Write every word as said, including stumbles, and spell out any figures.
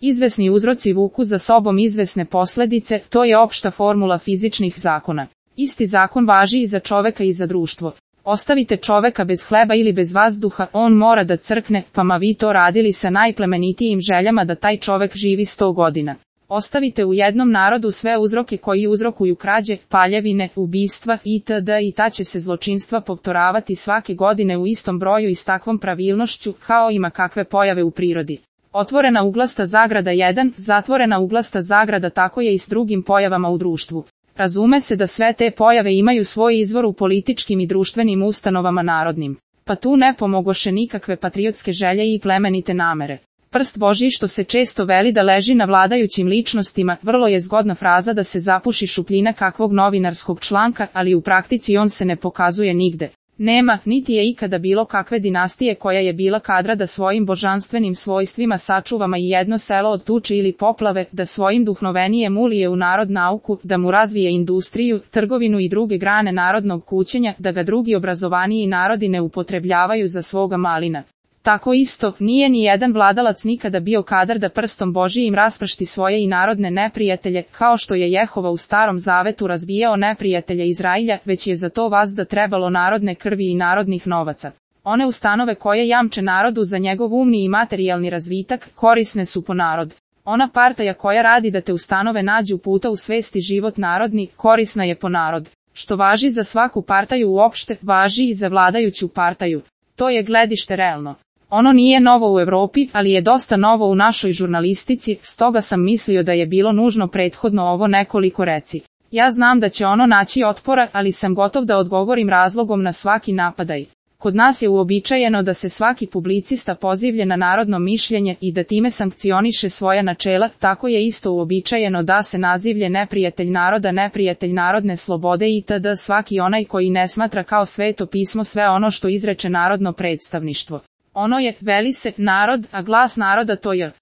Izvesni uzroci vuku za sobom izvesne posledice, to je opšta formula fizičnih zakona. Isti zakon važi i za čoveka i za društvo. Ostavite čoveka bez hleba ili bez vazduha, on mora da crkne, pa ma vi to radili sa najplemenitijim željama da taj čovek živi sto godina. Ostavite u jednom narodu sve uzroke koji uzrokuju krađe, paljevine, ubistva itd. i ta će se zločinstva povtoravati svake godine u istom broju i s takvom pravilnošću, kao ima kakve pojave u prirodi. Otvorena uglasta zagrada jedan, zatvorena uglasta zagrada, tako je i s drugim pojavama u društvu. Razume se da sve te pojave imaju svoj izvor u političkim i društvenim ustanovama narodnim. Pa tu ne pomogoše nikakve patriotske želje i plemenite namere. Prst Božji, što se često veli da leži na vladajućim ličnostima, vrlo je zgodna fraza da se zapuši šupljina kakvog novinarskog članka, ali u praktici on se ne pokazuje nigde. Nema, niti je ikada bilo kakve dinastije koja je bila kadra da svojim božanstvenim svojstvima sačuvama i jedno selo od tuče ili poplave, da svojim duhnovenijem ulije u narod nauku, da mu razvije industriju, trgovinu i druge grane narodnog kućenja, da ga drugi obrazovaniji narodi ne upotrebljavaju za svoga malina. Tako isto, nije ni jedan vladalac nikada bio kadar da prstom Božijim raspršti svoje i narodne neprijatelje, kao što je Jehova u Starom Zavetu razbijao neprijatelje Izrailja, već je za to vazda trebalo narodne krvi i narodnih novaca. One ustanove koje jamče narodu za njegov umni i materijalni razvitak, korisne su po narod. Ona partaja koja radi da te ustanove nađu puta u svesti život narodni, korisna je po narod. Što važi za svaku partaju uopšte, važi i za vladajuću partaju. To je gledište realno. Ono nije novo u Evropi, ali je dosta novo u našoj žurnalistici, stoga sam mislio da je bilo nužno prethodno ovo nekoliko reci. Ja znam da će ono naći otpora, ali sam gotov da odgovorim razlogom na svaki napadaj. Kod nas je uobičajeno da se svaki publicista pozivlje na narodno mišljenje i da time sankcioniše svoja načela, tako je isto uobičajeno da se nazivlje neprijatelj naroda, neprijatelj narodne slobode itd. Svaki onaj koji ne smatra kao sveto pismo sve ono što izreče narodno predstavništvo. Ono je, veli se, narod, a glas naroda to je.